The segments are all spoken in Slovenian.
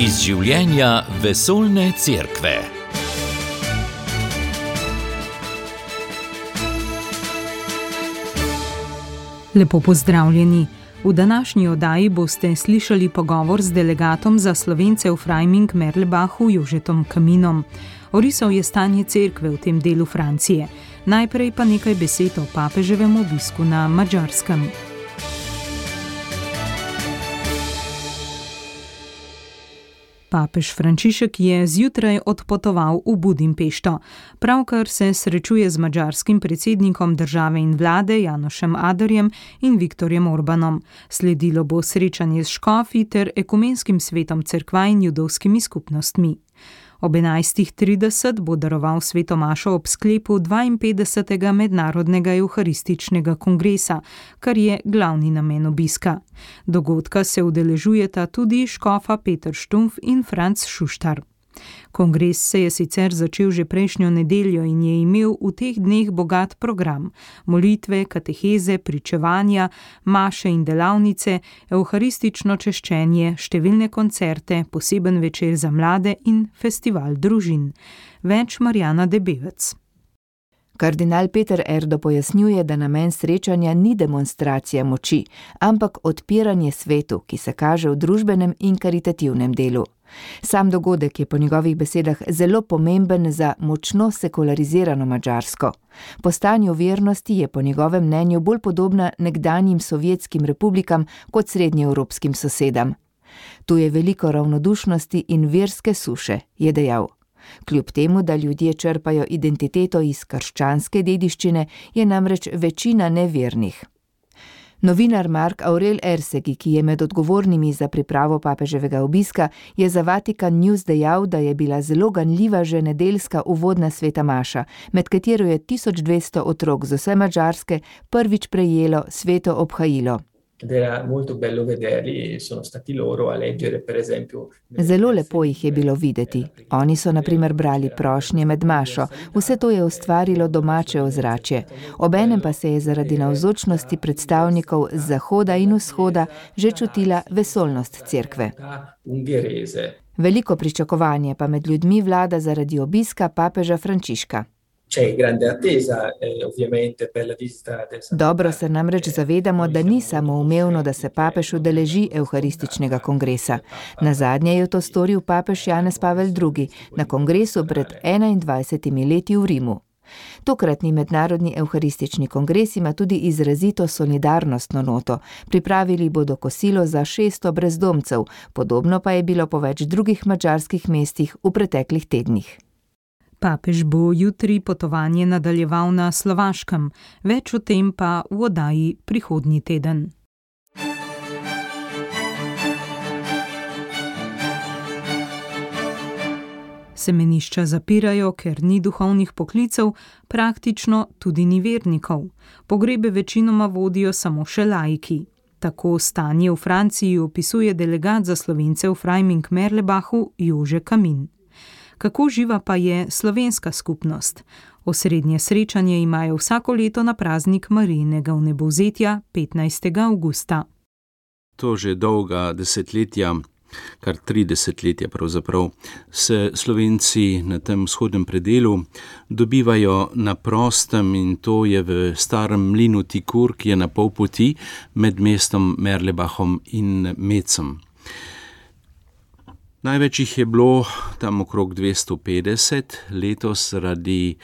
Iz življenja vesoljne cerkve. Lepo pozdravljeni. V današnji oddaji boste slišali pogovor z delegatom za Slovence v Freiming-Merlebachu Jožetom Kaminom. Orisal je stanje cerkve v tem delu Francije. Najprej pa nekaj besed o papeževem obisku na Madžarskem. Papež Frančišek je zjutraj odpotoval v Budimpešto. Pravkar se srečuje z madžarskim predsednikom države in vlade Janošem Aderjem in Viktorjem Orbanom. Sledilo bo srečanje s škofi ter ekumenskim svetom cerkva in judovskimi skupnostmi. Ob 11.30 bo daroval sveto mašo ob sklepu 52. mednarodnega evharističnega kongresa, kar je glavni namen obiska. Dogodka se udeležujeta tudi škofa Peter Štumpf in Franc Šuštar. Kongres se je sicer začel že prejšnjo nedeljo in je imel v teh dneh bogat program. Molitve, kateheze, pričevanja, maše in delavnice, evharistično češčenje, številne koncerte, poseben večer za mlade in festival družin. Več Marjana Debevec. Kardinal Peter Erdo pojasnjuje, da namen srečanja ni demonstracija moči, ampak odpiranje svetu, ki se kaže v družbenem in karitativnem delu. Sam dogodek je po njegovih besedah zelo pomemben za močno sekularizirano Madžarsko. Po stanju vernosti je po njegovem mnenju bolj podobna nekdanjim sovjetskim republikam kot srednjeevropskim sosedam. Tu je veliko ravnodušnosti in verske suše, je dejal. Kljub temu, da ljudje črpajo identiteto iz krščanske dediščine, je namreč večina nevernih. Novinar Mark Aurel Ersegi, ki je med odgovornimi za pripravo papeževega obiska, je za Vatikan News dejal, da je bila zelo ganljiva že nedeljska uvodna sveta maša, med katero je 1200 otrok z vse Madžarske prvič prejelo sveto obhajilo. Zelo lepo jih je bilo videti. Oni so na primer brali prošnje med mašo. Vse to je ustvarilo domače ozračje. Obenem pa se je zaradi navzočnosti predstavnikov z zahoda in vzhoda že čutila vesoljnost cerkve. Veliko pričakovanje pa med ljudmi vlada zaradi obiska papeža Frančiška. Dobro se namreč zavedamo, da ni samoumevno, da se papež udeleži evharističnega kongresa. Nazadnje je to storil papež Janez Pavel II. Na kongresu pred 21 leti v Rimu. Tokratni mednarodni evharistični kongres ima tudi izrazito solidarnostno noto. Pripravili bodo kosilo za 600 brezdomcev, podobno pa je bilo po več drugih madžarskih mestih v preteklih tednih. Papež bo jutri potovanje nadaljeval na Slovaškem, več o tem pa v oddaji prihodnji teden. Semenišča zapirajo, ker ni duhovnih poklicev, praktično tudi ni vernikov. Pogrebe večinoma vodijo samo še laiki. Tako stanje v Franciji opisuje delegat za Slovence v Freiming-Merlebachu Jože Kamin. Kako živa pa je slovenska skupnost? Osrednje srečanje imajo vsako leto na praznik Marijinega vnebovzetja 15. avgusta. To že dolga desetletja, kar 3 desetletja pravzaprav, se Slovenci na tem vzhodnem predelu dobivajo na prostem in to je v starem mlinu Tikur, ki je na pol poti med mestom Merlebachom in Mecem. Največ jih je bilo tam okrog 250, letos zaradi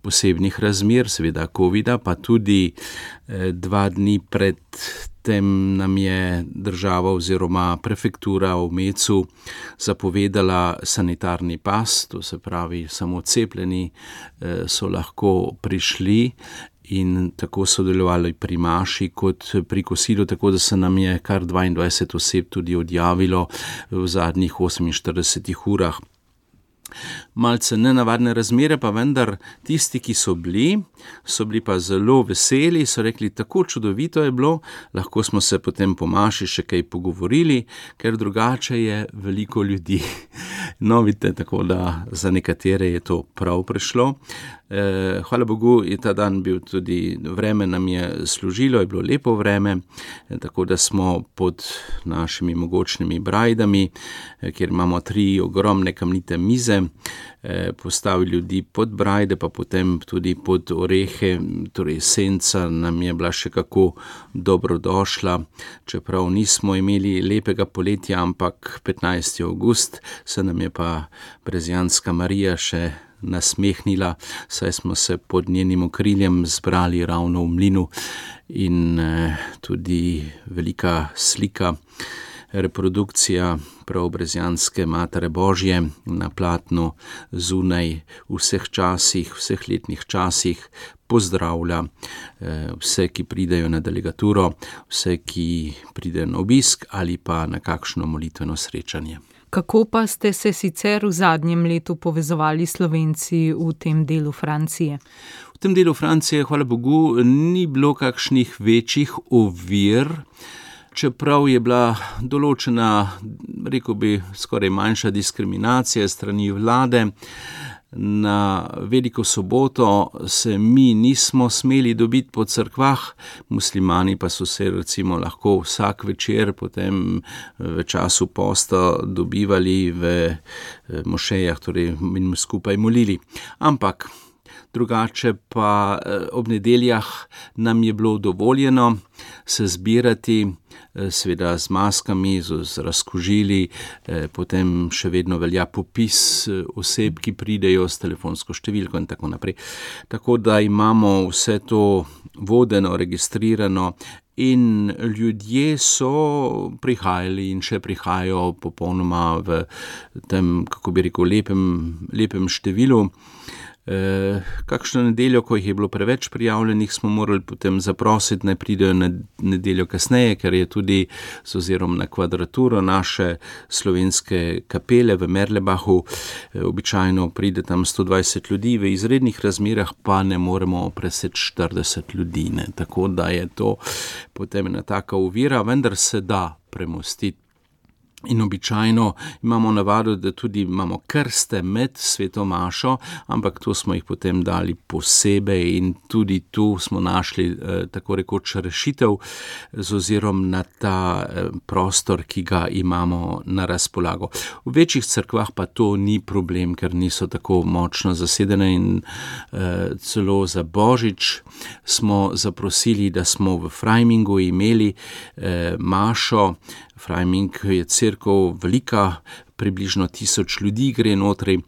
posebnih razmer, seveda covida, pa tudi 2 dni pred tem nam je država oziroma prefektura v Mecu zapovedala sanitarni pas, to se pravi samo cepljeni so lahko prišli in tako sodelovali pri maši kot pri kosilu, tako da se nam je kar 22 oseb tudi odjavilo v zadnjih 48 urah. Malce nenavadne razmere, pa vendar tisti, ki so bili pa zelo veseli, so rekli, tako čudovito je bilo, lahko smo se potem po maši še kaj pogovorili, ker drugače je veliko ljudi. No, vidite, tako da za nekatere je to prav prišlo. Hvala Bogu, je ta dan bil tudi, vreme nam je služilo, je bilo lepo vreme, tako da smo pod našimi mogočnimi brajdami, kjer imamo 3 ogromne kamnite mize, postavili ljudi pod brajde, pa potem tudi pod orehe, torej senca nam je bila še kako dobrodošla, čeprav nismo imeli lepega poletja, ampak 15. avgust se nam je pa Brezjanska Marija še nasmehnila, saj smo se pod njenim okriljem zbrali ravno v mlinu in tudi velika slika, reprodukcija Preobrazjanske Matere Božje na platnu zunaj v vseh časih, vseh letnih časih pozdravlja vse, ki pridejo na delegaturo, vse, ki pridejo na obisk ali pa na kakšno molitveno srečanje. Kako pa ste se sicer v zadnjem letu povezovali Slovenci v tem delu Francije? V tem delu Francije, hvala Bogu, ni bilo kakšnih večjih ovir, čeprav je bila določena, rekel bi, skoraj manjša diskriminacija strani vlade. Na Veliko soboto se mi nismo smeli dobiti po cerkvah, muslimani pa so se recimo lahko vsak večer potem v času posta dobivali v mošejah, torej in skupaj molili. Ampak drugače pa ob nedeljah nam je bilo dovoljeno se zbirati, seveda z maskami, z razkužili, potem še vedno velja popis oseb, ki pridejo s telefonsko številko in tako naprej. Tako da imamo vse to vodeno, registrirano in ljudje so prihajali in še prihajajo popolnoma v tem, kako bi rekel, lepem številu. Kakšno nedeljo, ko jih je bilo preveč prijavljenih, smo morali potem zaprositi, naj pridejo na nedeljo kasneje, ker je tudi z ozirom na kvadraturo naše slovenske kapele v Merlebachu, običajno pride tam 120 ljudi, v izrednih razmerah pa ne moremo preseči 40 ljudi, ne. Tako da je to potem ena taka ovira, vendar se da premostiti. In običajno imamo navado, da tudi imamo krste med sveto mašo, ampak to smo jih potem dali posebej in tudi tu smo našli tako rekoč rešitev z ozirom na ta prostor, ki ga imamo na razpolago. V večjih cerkvah pa to ni problem, ker niso tako močno zasedene in celo za Božič smo zaprosili, da smo v Freimingu imeli mašo. Freiming je cerkev velika, približno 1000 ljudi gre notri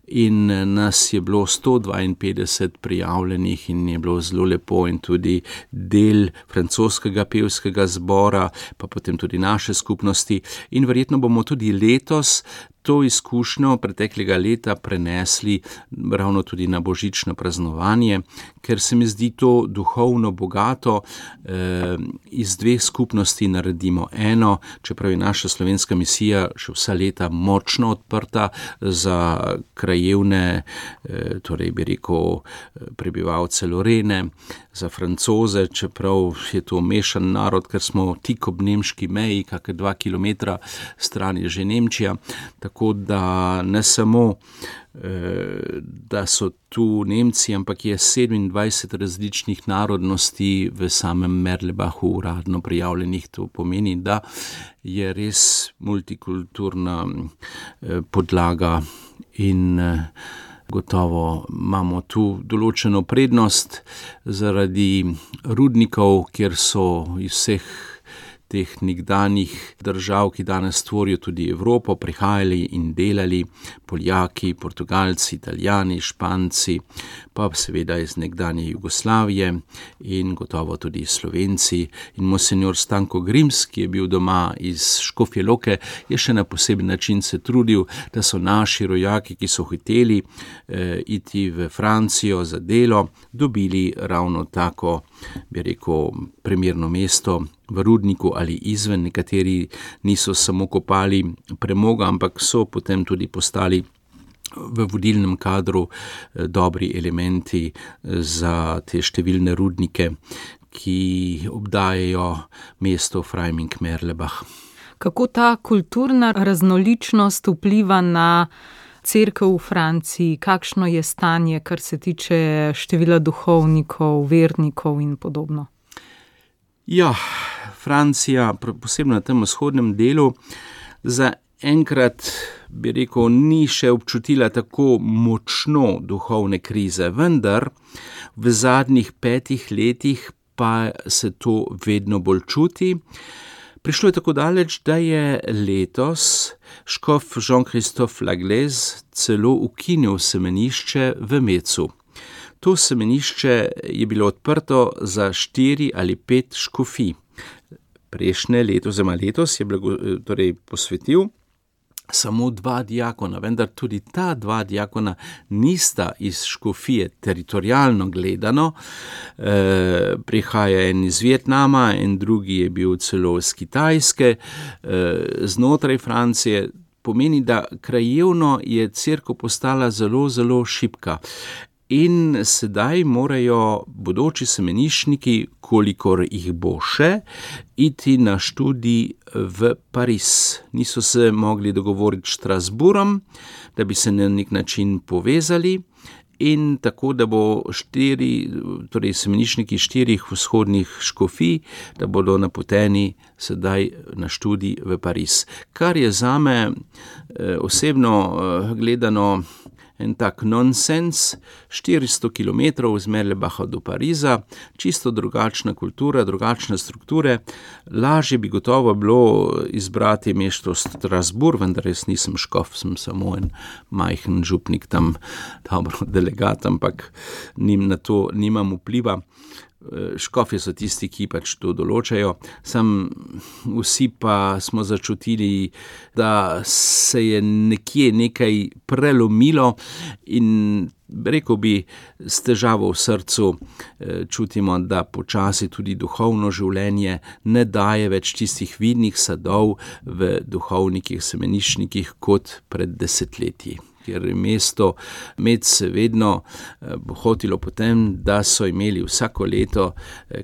in nas je bilo 152 prijavljenih in je bilo zelo lepo in tudi del francoskega pevskega zbora, pa potem tudi naše skupnosti in verjetno bomo tudi letos to izkušnjo preteklega leta prenesli ravno tudi na božično praznovanje, ker se mi zdi to duhovno bogato, iz 2 skupnosti naredimo eno, čeprav je naša slovenska misija še vsa leta močno odprta za krajevne, torej bi rekel prebivalce Lorene, za Francoze, čeprav je to mešan narod, ker smo tik ob nemški meji, kakor 2 kilometra stran je že Nemčija, tako da ne samo, da so tu Nemci, ampak je 27 različnih narodnosti v samem Merlebachu uradno prijavljenih. To pomeni, da je res multikulturna podlaga in gotovo imamo tu določeno prednost zaradi rudnikov, kjer so iz vseh teh nekdanjih držav, ki danes tvorijo tudi Evropo, prihajali in delali Poljaki, Portugalci, Italijani, Španci, pa seveda iz nekdanje Jugoslavije in gotovo tudi Slovenci. In monsenjor Stanko Grims, ki je bil doma iz Škofje Loke, je še na poseben način se trudil, da so naši rojaki, ki so hoteli iti v Francijo za delo, dobili ravno tako, bi rekel, primerno mesto v rudniku ali izven. Nekateri niso samo kopali premoga, ampak so potem tudi postali v vodilnem kadru dobri elementi za te številne rudnike, ki obdajajo mesto Freiming-Merlebach. Kako ta kulturna raznoličnost vpliva na cerkev v Franciji, kakšno je stanje, kar se tiče števila duhovnikov, vernikov in podobno? Ja, Francija, posebno na tem vzhodnem delu, za enkrat, bi rekel, ni še občutila tako močno duhovne krize, vendar v zadnjih 5 letih pa se to vedno bolj čuti. Prišlo je tako daleč, da je letos škof Jean-Christophe Laglaise celo ukinil semenišče v Mecu. To semenišče je bilo odprto za 4 ali 5 škofij. Prejšnje leto, oziroma letos je posvetil samo 2 diakona, vendar tudi ta 2 diakona nista iz škofije teritorialno gledano. Prihaja en iz Vietnama, en drugi je bil celo iz Kitajske, znotraj Francije. Pomeni, da krajevno je cerkev postala zelo, zelo šibka. In sedaj morajo bodoči semeniščniki, kolikor jih bo še, iti na študij v Pariz. Niso se mogli dogovoriti s Strasbourgom, da bi se na nek način povezali, in tako, da bo semeniščniki 4 vzhodnih škofij, da bodo napoteni sedaj na študij v Pariz. Kar je zame osebno gledano en tak nonsens, 400 kilometrov iz Merlebacha do Pariza, čisto drugačna kultura, drugačne strukture. Lažje bi gotovo bilo izbrati mesto Strasbourg, vendar res nisem škof, sem samo en majhen župnik tam, dobro delegat, ampak na to nimam vpliva. Škofje so tisti, ki pač to določajo. Vsi pa smo začutili, da se je nekje nekaj prelomilo in rekel bi, s težavo v srcu čutimo, da počasi tudi duhovno življenje ne daje več tistih vidnih sadov v duhovnikih, semeniščnikih kot pred desetletji. Ker je mesto Mec vedno hotilo potem, da so imeli vsako leto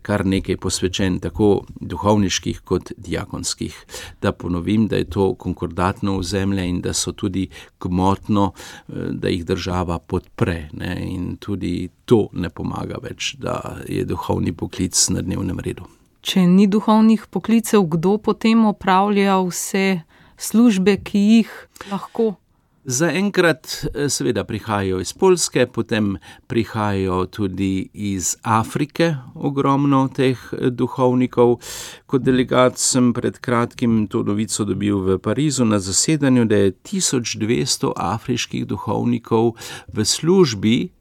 kar nekaj posvečen, tako duhovniških kot diakonskih. Da ponovim, da je to konkordatno ozemlje in da so tudi gmotno, da jih država podpre, ne? In tudi to ne pomaga več, da je duhovni poklic na dnevnem redu. Če ni duhovnih poklicev, kdo potem opravlja vse službe, ki jih lahko? Zaenkrat seveda prihajajo iz Poljske, potem prihajajo tudi iz Afrike ogromno teh duhovnikov. Kot delegat sem pred kratkim to novico dobil v Parizu na zasedanju, da je 1200 afriških duhovnikov v službi,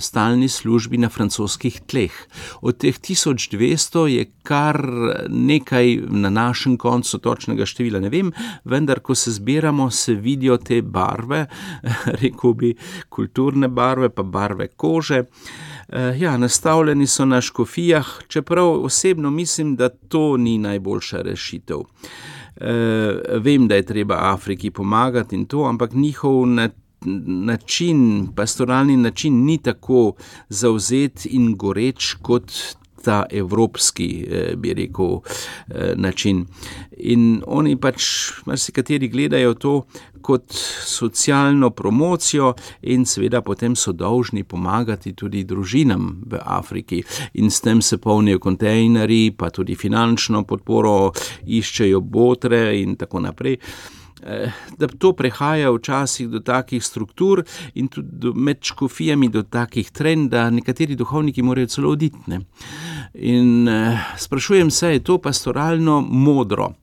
stalni službi na francoskih tleh. Od teh 1200 je kar nekaj na našem koncu, točnega števila ne vem, vendar ko se zbiramo, se vidijo te barve, rekel bi kulturne barve, pa barve kože. Nastavljeni so na škofijah, čeprav osebno mislim, da to ni najboljša rešitev. Vem, da je treba Afriki pomagati in to, ampak njihov pastoralni način ni tako zavzet in goreč kot ta evropski, bi rekel, način. In oni pač marsikateri gledajo to kot socialno promocijo in seveda potem so dolžni pomagati tudi družinam v Afriki. In s tem se polnijo kontejnerji, pa tudi finančno podporo, iščejo botre in tako naprej. Da to prehaja včasih do takih struktur in tudi med škofijami do takih trend, da nekateri duhovniki morajo celo oditi, ne? In sprašujem se, je to pastoralno modro?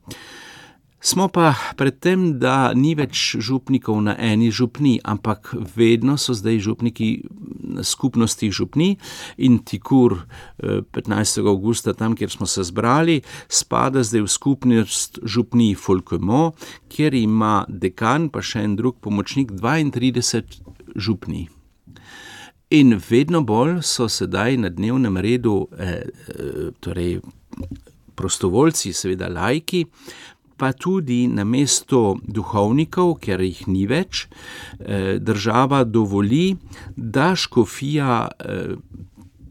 Smo pa pred tem, da ni več župnikov na eni župni, ampak vedno so zdaj župniki na skupnostih župni in Tikur 15. avgusta, tam, kjer smo se zbrali, spada zdaj v skupnost župni Folquemont, kjer ima dekan, pa še en drug pomočnik, 32 župni. In vedno bolj so sedaj na dnevnem redu prostovoljci, seveda laiki, pa tudi namesto duhovnikov, ker jih ni več, država dovoli, da škofija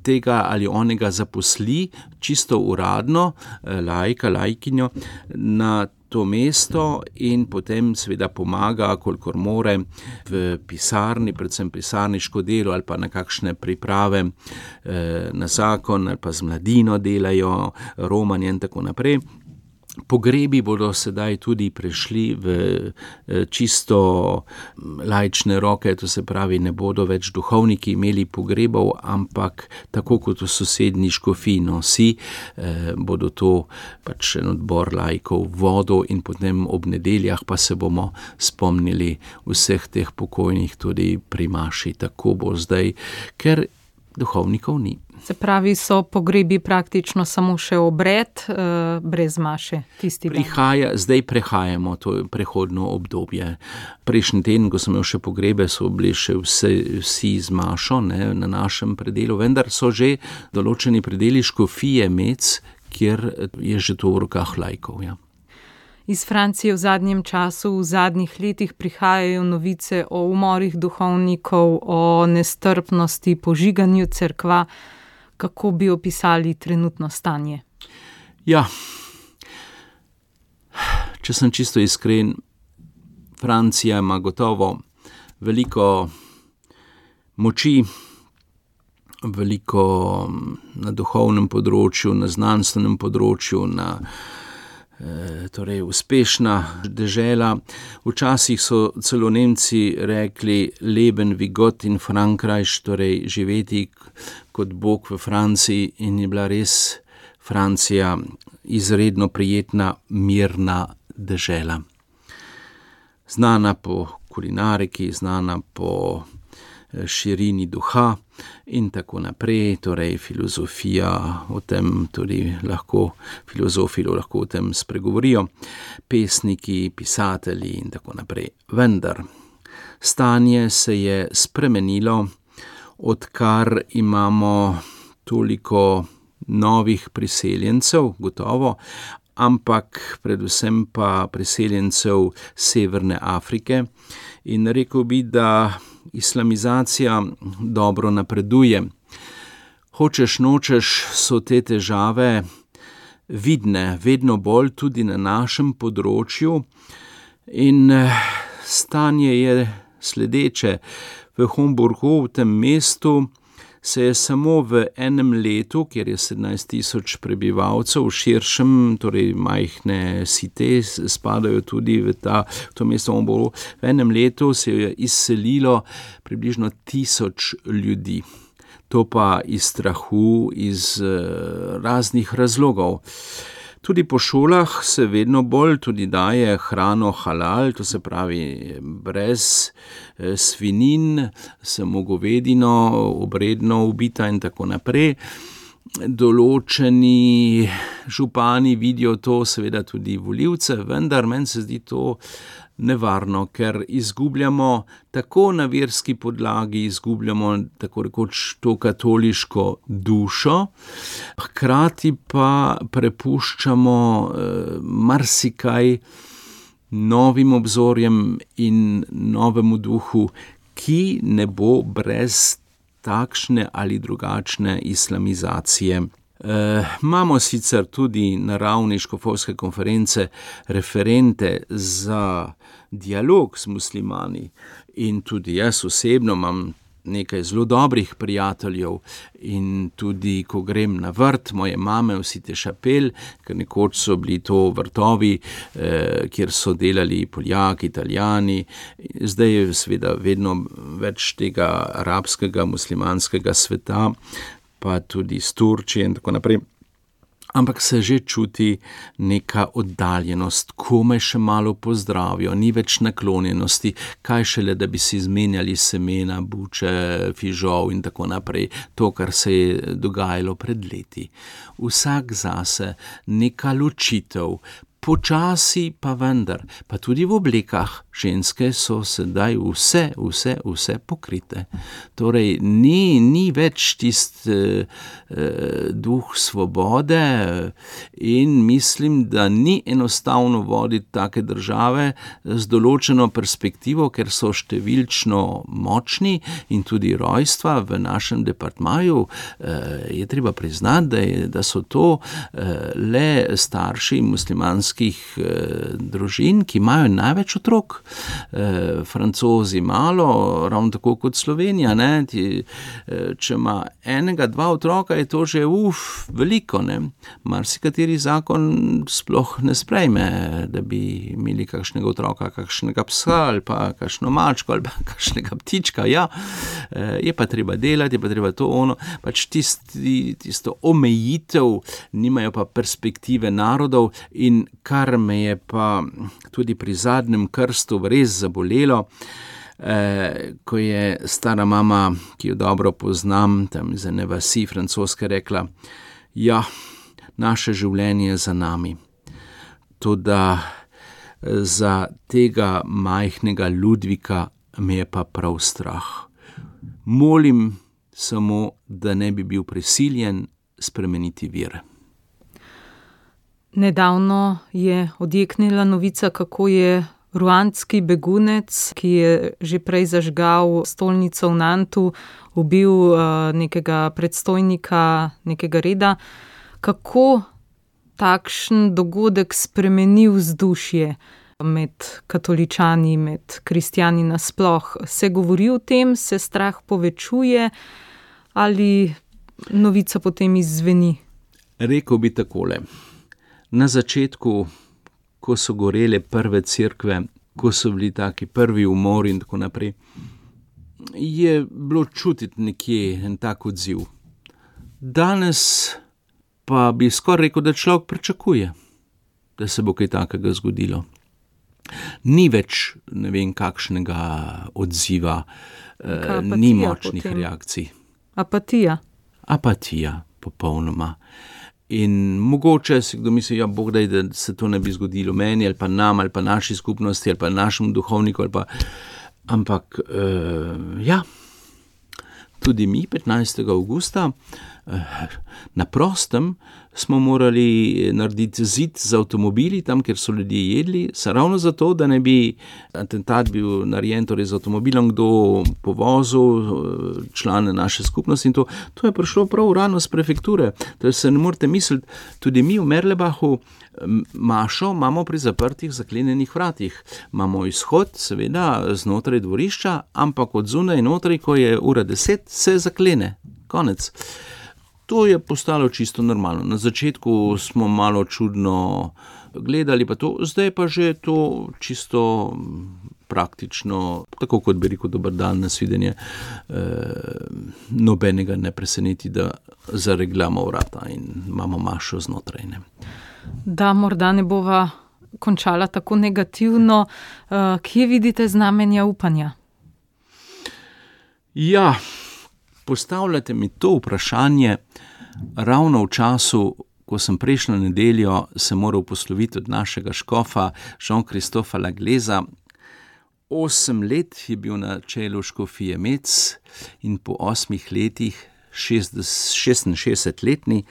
tega ali onega zaposli čisto uradno, laikinjo na to mesto in potem seveda pomaga, kolikor more, v pisarni, predvsem pisarniško delo ali pa na kakšne priprave na zakon ali pa z mladino delajo, romanje in tako naprej. Pogrebi bodo sedaj tudi prešli v čisto laične roke, to se pravi, ne bodo več duhovniki imeli pogrebov, ampak tako kot v sosednji škofiji Nosi, bodo to pač en odbor laikov vodil in potem ob nedeljah pa se bomo spomnili vseh teh pokojnih tudi pri maši. Tako bo zdaj, ker duhovnikov ni. Se pravi, so pogrebi praktično samo še obred, brez maše tisti dan. Zdaj prehajamo to prehodno obdobje. Prejšnji teden, ko sem imel še pogrebe, so bili še vsi z mašo, ne, na našem predelu, vendar so že določeni predeli škofije Mec, kjer je že to v rokah laikov, ja. Iz Francije v zadnjem času, v zadnjih letih prihajajo novice o umorih duhovnikov, o nestrpnosti, požiganju cerkva. Kako bi opisali trenutno stanje? Ja, če sem čisto iskren, Francija ima gotovo veliko moči, veliko na duhovnem področju, na znanstvenem področju, torej uspešna dežela. Včasih so celo Nemci rekli Leben wie Gott in Frankreich, torej živeti kot Bog v Franciji, in je bila res Francija izredno prijetna, mirna dežela. Znana po kulinariki, znana po širini duha in tako naprej, torej filozofija o tem tudi filozofi lahko o tem spregovorijo, pesniki, pisatelji in tako naprej. Vendar stanje se je spremenilo, odkar imamo toliko novih priseljencev, gotovo, ampak predvsem pa priseljencev Severne Afrike, in rekel bi, da islamizacija dobro napreduje. Hočeš nočeš, so te težave vidne, vedno bolj tudi na našem področju, in stanje je sledeče. V Homburgu, v tem mestu, se je samo v enem letu, kjer je 17,000 prebivalcev, v širšem, torej majhne site spadajo tudi v to mesto Homburgu, v enem letu se je izselilo približno 1000 ljudi. To pa iz strahu, iz raznih razlogov. Tudi po šolah se vedno bolj tudi daje hrano halal, to se pravi brez svinin, samo govedino, obredno ubita in tako naprej. Določeni župani vidijo to, seveda tudi volivce, vendar meni se zdi to nevarno, ker izgubljamo tako na verski podlagi, izgubljamo tako rekoč to katoliško dušo, hkrati pa prepuščamo marsikaj novim obzorjem in novemu duhu, ki ne bo brez takšne ali drugačne islamizacije. Imamo sicer tudi na ravni škofovske konference referente za dialog s muslimani, in tudi jaz osebno imam nekaj zelo dobrih prijateljev, in tudi ko grem na vrt moje mame v Cité Chapelle, ker nekoč so bili to vrtovi, kjer so delali Poljaki, Italijani, zdaj je seveda vedno več tega arabskega, muslimanskega sveta, pa tudi iz Turčije in tako naprej. Ampak se že čuti neka oddaljenost, kome še malo pozdravijo, ni več naklonjenosti, kaj šele, da bi si izmenjali semena, buče, fižol in tako naprej, to, kar se je dogajalo pred leti. Vsak zase, neka ločitev, počasi pa vendar, pa tudi v oblekah, ženske so sedaj vse pokrite. Torej, ni več duh svobode in mislim, da ni enostavno voditi take države z določeno perspektivo, ker so številčno močni in tudi rojstva v našem departmaju, je treba priznati, da so to le starši muslimanskih družin, ki imajo največ otrok. Francozi malo, ravno tako kot Slovenija, ne? Če ima enega, dva otroka, je to že veliko, ne? Marsikateri zakon sploh ne sprejme, da bi imeli kakšnega otroka, kakšnega psa ali pa kakšno mačko ali pa kakšnega ptička, ja. Je pa treba delati, je pa treba to ono, pač tisto omejitev, nimajo pa perspektive narodov in kar me je pa tudi pri zadnjem krstu res zabolelo, ko je stara mama, ki jo dobro poznam, tam iz ene vasi francoske rekla, ja, naše življenje je za nami. Toda za tega majhnega Ludvika me je pa prav strah. Molim samo, da ne bi bil prisiljen spremeniti vere. Nedavno je odjeknila novica, kako je ruandski begunec, ki je že prej zažgal stolnico v Nantu, ubil nekega predstojnika nekega reda. Kako takšen dogodek spremeni vzdušje med katoličani, med kristjani nasploh? Se govori o tem, se strah povečuje ali novica potem izzveni? Rekel bi takole. Na začetku, ko so gorele prve cerkve, ko so bili taki prvi umori in tako naprej, je bilo čutiti nekje en tak odziv. Danes pa bi skoraj rekel, da človek pričakuje, da se bo kaj takega zgodilo. Ni več ne vem kakšnega odziva, ni močnih potem reakcij. Apatija, popolnoma. In mogoče si kdo misli, ja, Bog daj, da se to ne bi zgodilo meni, ali pa nam, ali pa naši skupnosti, ali pa našemu duhovniku, ali pa... Ampak, ja, tudi mi 15. avgusta na prostem smo morali narediti zid z avtomobili, tam, kjer so ljudje jedli, ravno zato, da ne bi atentat bil narejen, torej z avtomobilom, kdo povozil člane naše skupnosti in to je prišlo prav rano z prefekture. To se ne morete misliti, tudi mi v Merlebachu mašo imamo pri zaprtih zaklenjenih vratih. Imamo izhod, seveda, znotraj dvorišča, ampak od zunaj notri, ko je 10:00, se zaklene. Konec. To je postalo čisto normalno. Na začetku smo malo čudno gledali pa to, zdaj pa že to čisto praktično, tako kot bi rekel dober dan, nasvidenje, nobenega ne preseneti, da zaregljamo vrata in imamo mašo znotraj. Ne. Da morda ne bova končala tako negativno, kje vidite znamenja upanja? Ja, postavljate mi to vprašanje ravno v času, ko sem prejšnjo nedeljo se moral posloviti od našega škofa Jean-Christopha Lagleza. 8 let je bil na čelu škofije Metz in po 8 letih, 66-letni,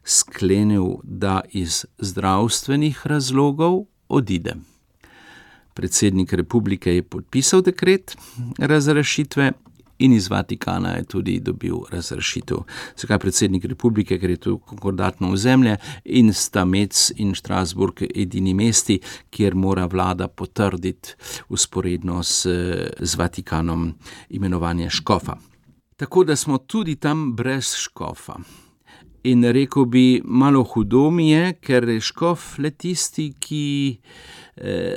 sklenil, da iz zdravstvenih razlogov odide. Predsednik republike je podpisal dekret razrešitve in iz Vatikana je tudi dobil razrešitev. Zakaj predsednik republike, ker je to konkordatno ozemlje in sta Metz in Strasbourg edini mesti, kjer mora vlada potrditi vzporedno z Vatikanom imenovanje škofa. Tako da smo tudi tam brez škofa. In rekel bi, malo hudo mi je, ker je škof le tisti, ki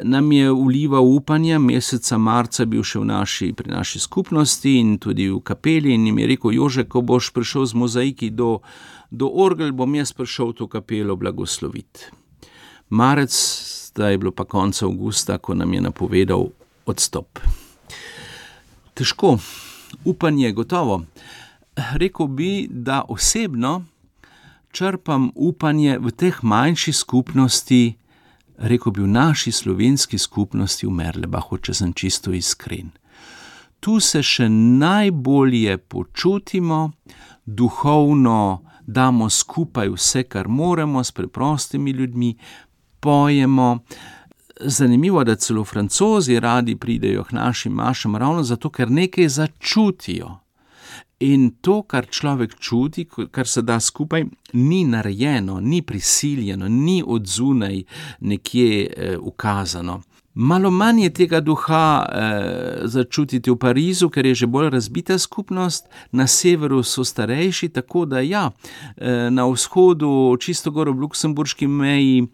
nam je vlival upanje. Meseca marca bil še pri naši skupnosti in tudi v kapeli in mi je rekel, Jože, ko boš prišel z mozaiki do orgel, bom jaz prišel to kapelo blagosloviti. Marec, zdaj je bilo pa konca avgusta, ko nam je napovedal odstop. Težko, upanje gotovo. Rekel bi, da osebno črpam upanje v teh manjših skupnosti rekel bi, v naši slovenski skupnosti v Merlebachu, če sem čisto iskren. Tu se še najbolje počutimo, duhovno damo skupaj vse, kar moremo, s preprostimi ljudmi, pojemo. Zanimivo, da celo Francozi radi pridejo k našim mašam ravno zato, ker nekaj začutijo. In to, kar človek čuti, kar se da skupaj, ni narejeno, ni prisiljeno, ni odzunaj nekje ukazano. Malo manj je tega duha začutiti v Parizu, ker je že bolj razbita skupnost, na severu so starejši, tako da na vzhodu, čisto gor ob luksemburški meji,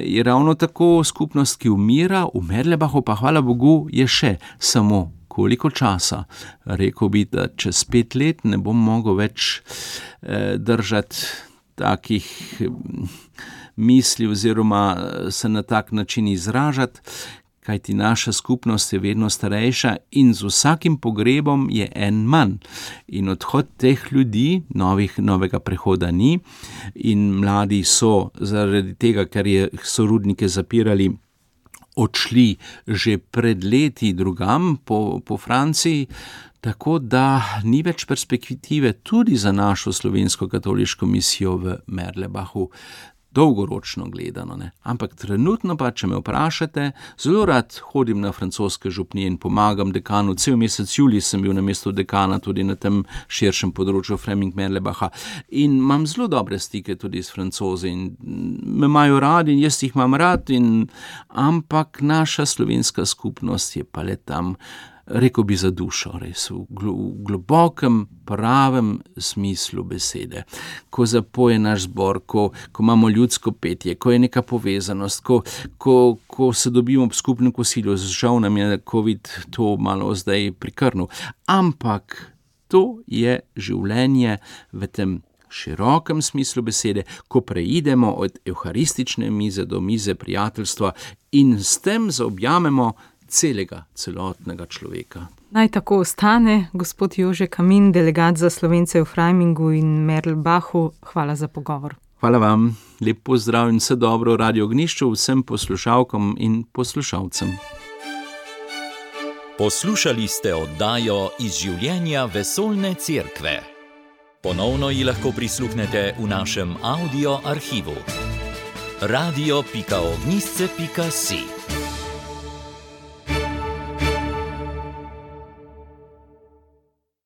je ravno tako skupnost, ki umira, v Merlebachu pa, hvala Bogu, je še samo koliko časa. Rekel bi, da čez 5 let ne bom mogel več držati takih misli oziroma se na tak način izražati, kajti naša skupnost je vedno starejša in z vsakim pogrebom je en manj. In odhod teh ljudi, novega prehoda ni, in mladi so zaradi tega, ker so rudnike zapirali, odšli že pred leti drugam po Franciji, tako da ni več perspektive tudi za našo slovensko katoliško misijo v Merlebachu, dolgoročno gledano, ne. Ampak trenutno pa, če me vprašate, zelo rad hodim na francoske župnije in pomagam dekanu. Cel mesec julij sem bil na mestu dekana tudi na tem širšem področju Fleming-Merlebacha in imam zelo dobre stike tudi s Francozi in me imajo radi in jaz jih imam rad, ampak naša slovenska skupnost je pa le tam, rekel bi, za dušo, res, v globokem, pravem smislu besede. Ko zapoje naš zbor, ko imamo ljudsko petje, ko je neka povezanost, ko se dobimo ob skupnem kosilu, žal nam je COVID to malo zdaj prikrnil, ampak to je življenje v tem širokem smislu besede, ko preidemo od evharistične mize do mize prijateljstva in s tem zaobjamemo celotnega človeka. Naj tako ostane. Gospod Jože Kamin, delegat za Slovence v Freimingu in Merlebachu, hvala za pogovor. Hvala vam, lep pozdrav in vse dobro v Radio Ognjišču vsem poslušalkam in poslušalcem. Poslušali ste oddajo Iz življenja vesoljne cerkve. Ponovno ji lahko prisluhnete v našem audio arhivu. radio.ognisce.si